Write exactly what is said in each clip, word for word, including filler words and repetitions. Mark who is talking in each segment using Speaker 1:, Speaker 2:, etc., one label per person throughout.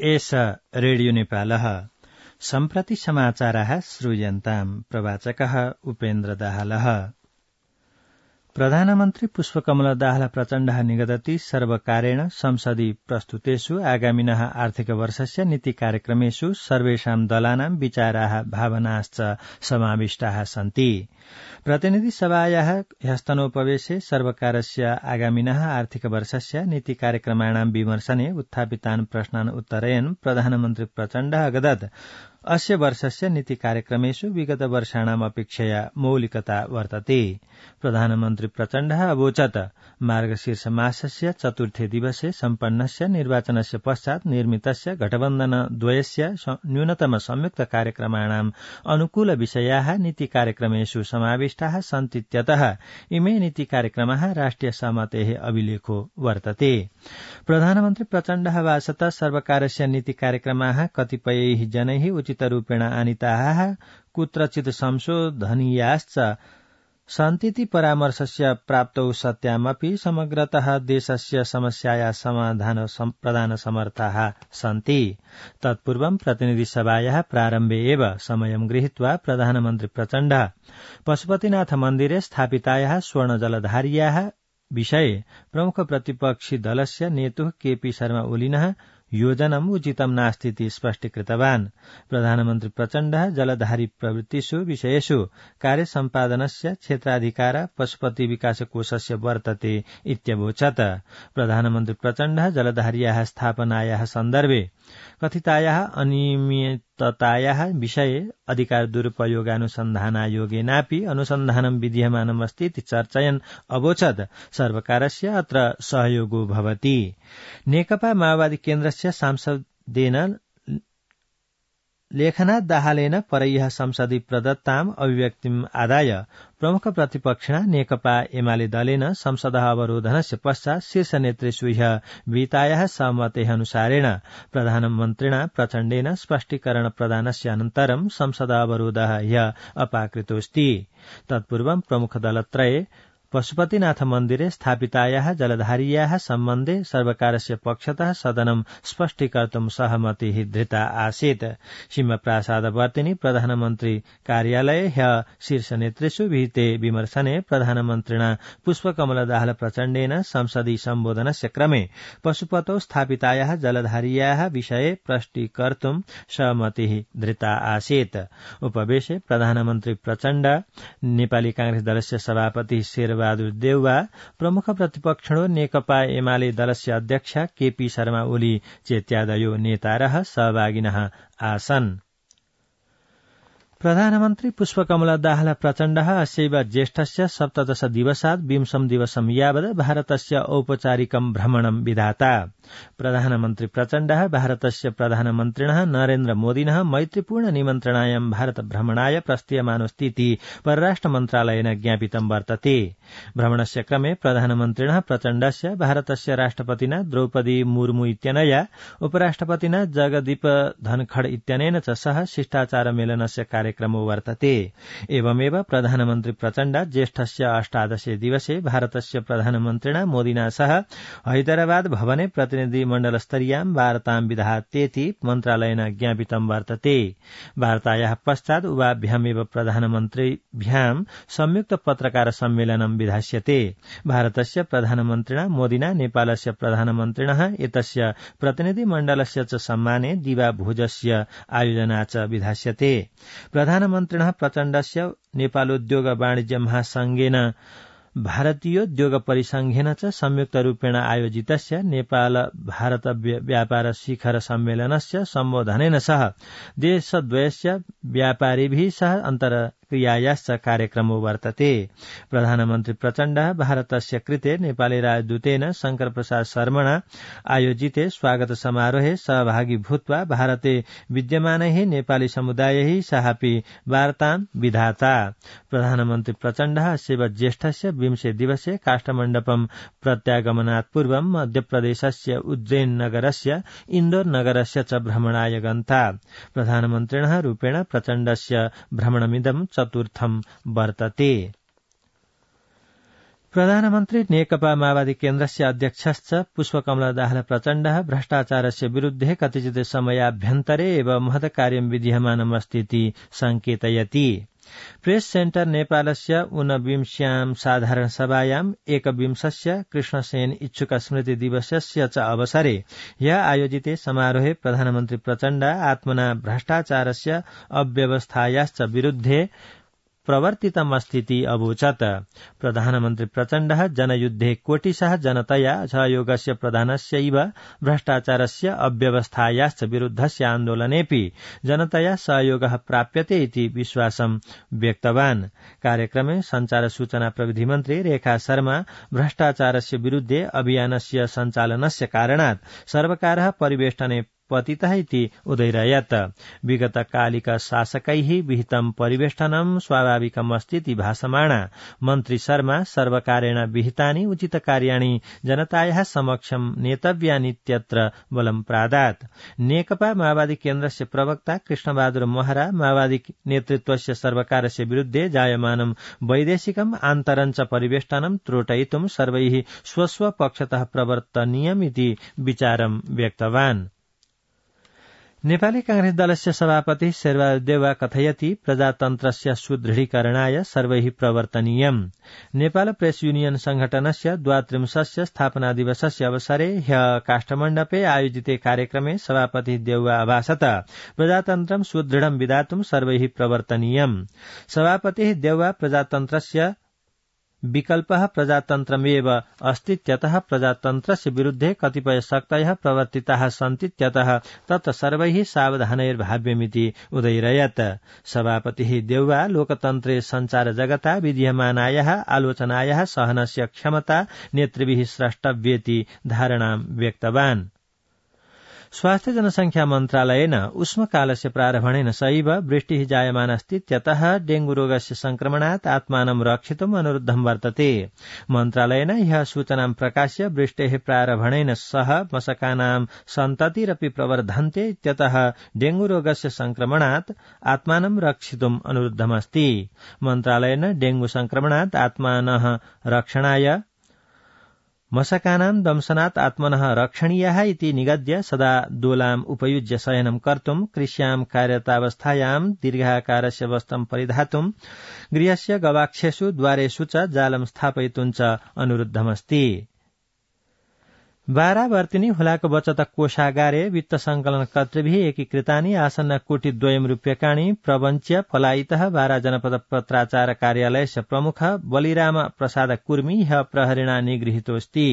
Speaker 1: एष रेडियो नेपालः सम्प्रति समाचाराः श्रूयन्ताम् प्रवाचकः उपेन्द्र दाहालः। प्रधानमन्त्री पुष्पकमल दाहाल प्रचण्डः निगदति सर्वकारेण संसदि प्रस्तुतेषु आगामिनः आर्थिक वर्षस्य नीति कार्यक्रमेषु सर्वेषां दलानां विचाराः भावनाश्च समाविष्टाः सन्ति। प्रतिनिधि सभायाः ह्यस्तनोपवेशे सर्वकारस्य आगामिनः आर्थिक वर्षस्य नीति कार्यक्रमाणां विमर्शने उत्थापितान् प्रश्नान् उत्तरयन् प्रधानमन्त्री प्रचण्डः अगदत् अस्य वर्षस्य नीति कार्यक्रमेषु विगत वर्षाणाम् अपेक्षया मौलिकता वर्तते। प्रधानमन्त्री प्रचण्डः अवोचत् मार्गशीर्ष मासस्य चतुर्थे दिवसे सम्पन्नस्य निर्वाचनस्य पश्चात् निर्मितस्य गठबन्धनद्वयस्य न्यूनतम संयुक्त कार्यक्रमाणाम् अनुकूल विषयाः नीति कार्यक्रमेषु समाविष्टाः सन्तीत्यतः इमे नीति कार्यक्रमाः राष्ट्रिय सहमतेः अभिलेखो वर्तते। प्रधानमन्त्री प्रचण्डः वासत सर्वकारस्य नीति कार्यक्रमाः कतिपयैः जनैः उचितरूपेण आनीताः कुत्रचित् संशोधनीयाश्च सन्तीति परामर्शस्य प्राप्तौ सत्यामपि समग्रतः देशस्य समस्याया समाधान प्रदान समर्थाः सन्ति। तत्पूर्वं प्रतिनिधि सभायाः प्रारम्भे एव समयं गृहीत्वा प्रधानमन्त्री प्रचण्डः पशुपतिनाथ मन्दिरे स्थापितायाः स्वर्णजलधार्याः विषये प्रमुख प्रतिपक्षी दलस्य नेतुः केपी शर्मा ओलिनः योजनम् उचितं नास्तीति स्पष्टीकृतवान्। प्रधानमन्त्री प्रचण्डः जलधारी प्रवृत्तिषु विषयेषु कार्यसम्पादनस्य क्षेत्राधिकार पशुपति विकास कोषस्य वर्तते इत्यवोचत्। प्रधानमन्त्री प्रचण्डः जलधार्याः स्थापनायाः सन्दर्भे कथितायाः अनियमिततायाः विषये अधिकार दुरुपयोगानुसन्धानायोगेनापि अनुसन्धानं विधीयमानमस्ति इति चर्चयन् अवोचत् सर्वकारस्य अत्र सहयोगो भवति। नेकपा माओवादी केन्द्रस्य सांसदेन लेखनाथ दाहालेन परह्यः संसदि प्रदत्ताम् अभिव्यक्तिम् आदाय प्रमुख प्रतिपक्षिणा नेकपा एमाले दलेन संसदः अवरोधनस्य पश्चात् शीर्ष नेतृषु ह्यः विहितायाः सहमतेः अनुसारेण प्रधानमन्त्रिणा प्रचण्डेन स्पष्टीकरण प्रदानस्य अनन्तरं संसदः अवरोधः ह्यः अपाकृतोऽस्ति। तत्पूर्वं प्रमुख दलत्रये पशुपतिनाथ मन्दिरे स्थापितायाः जलधार्याः सम्बन्धे सर्वकारस्य पक्षतः सदनं स्पष्टीकर्तुं सहमतिः धृता आसीत्। सिंहप्रासादवर्तिनि प्रधानमन्त्री कार्यालये ह्यः शीर्ष नेतृषु विहिते विमर्शने प्रधानमन्त्रिणा पुष्पकमल दाहाल प्रचण्डेन संसदि सम्बोधनस्य क्रमे पशुपतौ स्थापितायाः जलधार्याः विषये स्पष्टीकर्तुं सहमतिः धृता आसीत्। उपवेशे प्रधानमन्त्री प्रचण्ड, नेपाली कांग्रेस दलस्य सभापति शेर बहादुर देउवा, प्रमुख प्रतिपक्षिणो नेकपा एमाले दलस्य अध्यक्ष केपी शर्मा ओली चेत्यादयो नेतारः सहभागिनः आसन्। प्रधानमन्त्री पुष्पकमल दाहाल प्रचण्डः अस्यैव ज्येष्ठस्य सप्तदश दिवसात् विंशं दिवसं यावत् भारतस्य औपचारिकं भ्रमणं विधाता। प्रधानमन्त्री प्रचण्डः भारतस्य प्रधानमन्त्रिणः नरेन्द्र मोदिनः मैत्रीपूर्ण निमन्त्रणायां भारत भ्रमणाय प्रस्थीयमानोऽस्तीति परराष्ट्र मन्त्रालयेन ज्ञापितं वर्तते। भ्रमणस्य क्रमे प्रधानमन्त्रिणः प्रचण्डस्य भारतस्य राष्ट्रपतिना द्रौपदी मुर्मू इत्यनया, उपराष्ट्रपतिना जगदीप धनखड़ इत्यनेन च सह शिष्टाचार मेलनस्य कार्यक्रमो वर्तते। एवमेव प्रधानमन्त्री प्रचण्ड ज्येष्ठस्य अष्टादशे दिवसे भारतस्य प्रधानमन्त्रिणा मोदिना सह हैदराबाद भवने प्रतिनिधिमण्डलस्तरीयां वार्तां विधात्येति मन्त्रालयेन ज्ञापितं वर्तते। वार्तायाः पश्चात् उभाभ्यामेव प्रधानमन्त्रिभ्यां संयुक्त पत्रकार सम्मेलनं विधास्यते। भारतस्य प्रधानमन्त्रिणा मोदिना नेपालस्य प्रधानमन्त्रिणः एतस्य प्रतिनिधिमण्डलस्य च सम्माने दिवाभोजस्य आयोजना च विधास्यते। प्रधानमन्त्रिणः प्रचण्डस्य नेपालोद्योग वाणिज्य महासंघेन भारतीयोद्योग परिसंघेन च संयुक्तरूपेण आयोजितस्य नेपाल भारत व्यापार शिखर सम्मेलनस्य सम्बोधनेन सह देशद्वयस्य व्यापारिभिः सह अन्तर्क्रियायाश्च कार्यक्रमो वर्तते। प्रधानमन्त्री प्रचण्डः भारतस्य कृते नेपाली राजदूतेन शंकर प्रसाद शर्मणा आयोजिते स्वागत समारोहे सहभागी भूत्वा भारते विद्यमानैः नेपाली समुदायैः सहापि वार्तां विधाता। प्रधानमन्त्री प्रचण्डः अस्यैव ज्येष्ठस्य विंशे दिवसे काष्ठमण्डपं प्रत्यागमनात् पूर्वं मध्यप्रदेशस्य उज्जैन नगरस्य इन्दोर नगरस्य च भ्रमणाय गन्ता। प्रधानमन्त्रिणः रूपेण प्रचण्डस्य भ्रमणमिदं चतुर्थं वर्तते। प्रधानमन्त्री नेकपा माओवादी केन्द्रस्य अध्यक्षश्च पुष्पकमल दाहाल प्रचण्डः भ्रष्टाचारस्य विरुद्धे कतिचित् समयाभ्यन्तरे एव महत्कार्यं विधीयमानमस्तीति संकेतयति। प्रेस सेन्टर नेपालस्य ऊनविंश्यां साधारण सभायाम् एकविंशस्य कृष्णसेन इच्छुक स्मृति दिवसस्य च अवसरे ह्यः आयोजिते समारोहे प्रधानमन्त्री प्रचण्ड आत्मना भ्रष्टाचारस्य अव्यवस्थायाश्च विरुद्धे प्रवर्तितमस्तीति अवोचत्। प्रधानमन्त्री प्रचण्डः जनयुद्धे कोटिशः जनतया सहयोगस्य प्रधानस्यैव भ्रष्टाचारस्य अव्यवस्थायाश्च विरुद्धस्य आन्दोलनेऽपि जनतया सहयोगः प्राप्यते इति विश्वासं व्यक्तवान्। कार्यक्रमे संचार सूचना प्रविधि मन्त्री रेखा शर्मा भ्रष्टाचारस्य विरुद्धे अभियानस्य सञ्चालनस्य कारणात् सर्वकारः परिवेष्टने पतितः इति उदैरयत्। विगतकालिक शासकैः विहितं परिवेष्टनं स्वाभाविकमस्तीति भाषमाणा मन्त्री शर्मा सर्वकारेण विहितानि उचितकार्याणि जनतायाः समक्षं नेतव्यानीत्यत्र बलं प्रादात्। नेकपा माओवादी केन्द्रस्य प्रवक्ता कृष्णबहादुर महरा माओवादी नेतृत्वस्य सर्वकारस्य विरुद्धे जायमानं वैदेशिकम् आन्तरञ्च परिवेष्टनं त्रोटयितुं सर्वैः स्वस्व पक्षतः प्रवर्तनीयमिति विचारं व्यक्तवान्। नेपाली कांग्रेस दलस्य सभापति शेरबहादुर देउवा कथयति प्रजातन्त्रस्य सुदृढीकरणाय सर्वैः प्रवर्तनीयम्। नेपाल प्रेस यूनियन संघटनस्य द्वात्रिंशस्य स्थापना दिवसस्य अवसरे ह्यः काष्ठमण्डपे आयोजिते कार्यक्रमे सभापति देउवा अभाषत प्रजातन्त्रं सुदृढं विधातुं सर्वैः प्रवर्तनीयम्। सभापतिः देउवा प्रजातन्त्रस्य विकल्पः प्रजातन्त्रमेव अस्तीत्यतः प्रजातन्त्रस्य विरुद्धे कतिपय शक्तयः प्रवर्तिताः सन्तीत्यतः तत्र सर्वैः सावधानैर्भाव्यमिति उदैरयत्। सभापतिः देउवा लोकतन्त्रे संचार जगता विधीयमानायाः आलोचनायाः सहनस्य क्षमता नेतृभिः स्रष्टव्येति धारणां व्यक्तवान्। स्वास्थ्य जनसंख्या मन्त्रालयेन उष्मकालस्य प्रारम्भेन सैव वृष्टिः जायमानास्तीत्यतः डेंगू रोगस्य संक्रमणात् आत्मानं रक्षितुम् अनुरुद्धं वर्तते। मन्त्रालयेन ह्यः सूचनां प्रकाश्य वृष्टेः प्रारम्भेन सह मशकानां सन्ततिरपि प्रवर्धन्ते इत्यतः डेंगू रोगस्य संक्रमणात् आत्मानं रक्षितुम् अनुरुद्धमस्ति। मन्त्रालयेन डेंगू संक्रमणात् आत्मानः रक्षणाय मशकानां दंशनात् आत्मनः रक्षणीयाः इति निगद्य सदा दोलाम् उपयुज्य शयनं कर्तुम् कृष्यां कार्यरतावस्थायां दीर्घाकारस्य वस्त्रं परिधातुम् गृहस्य गवाक्षेषु द्वारेषु च जालं स्थापयितुं च अनुरुद्धमस्ति। बारावर्तिनी हुलाको बचत कोषागारे वित्त संकलन कर्तृभिः एकीकृतानि आसन्न कोटिद्वयं रूप्यकाणि प्रवञ्च्य पलायितः बारा जनपद पत्राचार कार्यालयस्य प्रमुख बलिराम प्रसाद कुर्मी ह्यः प्रहरिणा निगृहीतोऽस्ति।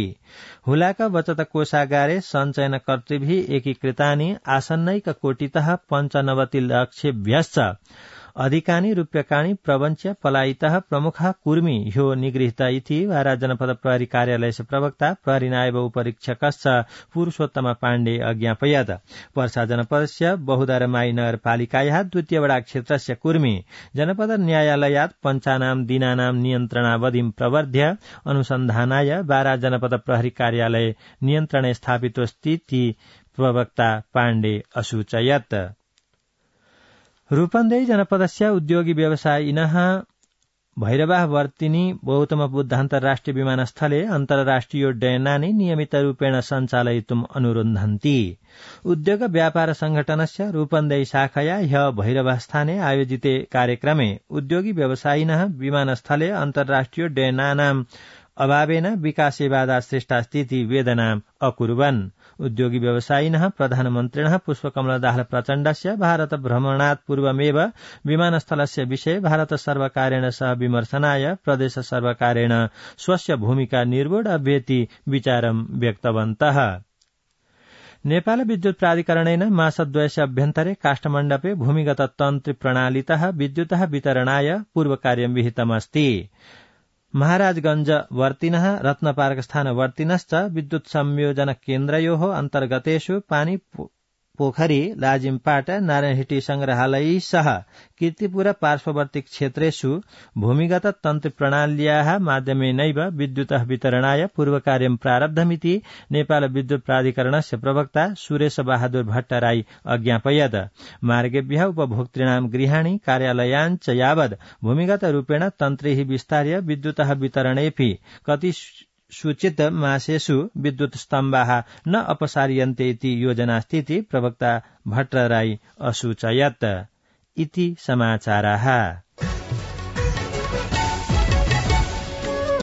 Speaker 1: हुलाक बचत कोषागारे सञ्चयन कर्तृभिः एकीकृतानि आसन्नैक कोटितः पञ्चनवति लक्षेभ्यश्च अधिकानि रूप्यकाणि प्रवञ्च्य पलायितः प्रमुखः कुर्मी ह्यो निगृहीत इति वारा जनपद प्रहरी कार्यालयस्य प्रवक्ता प्रहरी नायब उपरीक्षकश्च पुरुषोत्तम पाण्डे अज्ञापयत्। पर्सा जनपदस्य बहुदरमाई नगरपालिकायाः द्वितीय वडा क्षेत्रस्य कुर्मी जनपद न्यायालयात् पञ्चानां दिनानां नियन्त्रणावधिं प्रवर्ध्य अनुसन्धानाय वारा जनपद प्रहरी कार्यालय नियन्त्रणे स्थापितोऽस्तीति प्रवक्ता पाण्डे असूचयत्। रूपन्देही जनपदस्य उद्योगी व्यवसायिनः भैरवाह वर्तिनी गौतम बुद्ध अन्तर्राष्ट्रिय विमानस्थले अन्तर्राष्ट्रियोड्डयनानि नियमितरूपेण सञ्चालयितुम् अनुरुन्धन्ति। उद्योग व्यापार संघटनस्य रूपन्देही शाखया ह्यः भैरवास्थाने आयोजिते कार्यक्रमे उद्योगी व्यवसायिनः विमानस्थले अन्तर्राष्ट्रियोड्डयनानाम् अभावेन विकासे बाधा सृष्टास्तीति वेदनाम् अकुर्वन्। उद्योगी व्यवसायिनः प्रधानमन्त्रिणः पुष्पकमल दाहाल प्रचण्डस्य भारत भ्रमणात् पूर्वमेव विमानस्थलस्य विषये भारत सर्वकारेण सह विमर्शनाय प्रदेश सर्वकारेण स्वस्य भूमिका निर्वोढव्येति विचारं व्यक्तवन्तः। नेपाल विद्युत प्राधिकरणेन मासद्वयस्य अभ्यन्तरे काष्ठमण्डपे भूमिगत तन्त्री प्रणालीतः विद्युतः वितरणाय पूर्वकार्यं विहितमस्ति। महाराजगंज वर्तिनः रत्नपार्कस्थान वर्तिनश्च विद्युत संयोजन केन्द्रयोः अन्तर्गतेषु पानी पोखरी लाजिमपाट नारायणहिटी संग्रहालय सह कीर्तिपुर पार्श्ववर्ती क्षेत्रेषु भूमिगत तन्त्र प्रणाल्याः माध्यमेनैव विद्युतः वितरणाय पूर्वकार्यं प्रारब्धमिति नेपाल विद्युत प्राधिकरणस्य प्रवक्ता सुरेश बहादुर भट्टराई अज्ञापयत्। मार्गेभ्यः उपभोक्तॄणां गृहाणि कार्यालयान् च यावद् भूमिगत रूपेण तन्त्रैः विस्तार्य विद्युतः वितरणेऽपि कति सूचित मासेषु विद्युत स्तम्भाः न अपसार्यन्ते इति योजनास्तीति प्रवक्ता भट्टराई असूचयत्। इति समाचाराः।